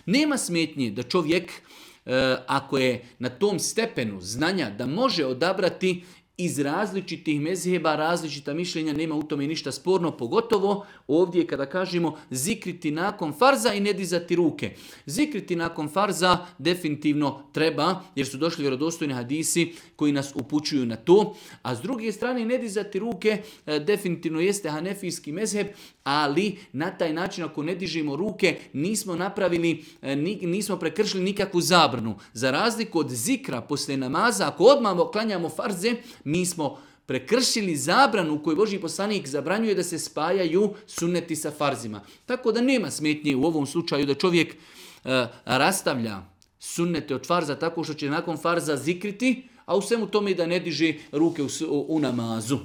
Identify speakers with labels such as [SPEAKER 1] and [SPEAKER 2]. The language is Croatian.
[SPEAKER 1] Nema smetnje da čovjek, ako je na tom stepenu znanja da može odabrati iz različitih mezheba, različita mišljenja, nema u tome ništa sporno, pogotovo ovdje kada kažemo zikriti nakon farza i ne dizati ruke. Zikriti nakon farza definitivno treba, jer su došli vjerodostojni hadisi koji nas upućuju na to, a s druge strane ne dizati ruke definitivno jeste hanefijski mezheb, ali na taj način ako ne dižemo ruke nismo napravili, nismo prekršili nikakvu zabranu. Za razliku od zikra poslije namaza, ako odmah klanjamo farze, mi smo prekršili zabranu koju Božji poslanik zabranjuje da se spajaju sunneti sa farzima. Tako da nema smetnje u ovom slučaju da čovjek rastavlja sunnete od farza tako što će nakon farza zikriti, a u svemu tome da ne diže ruke u namazu.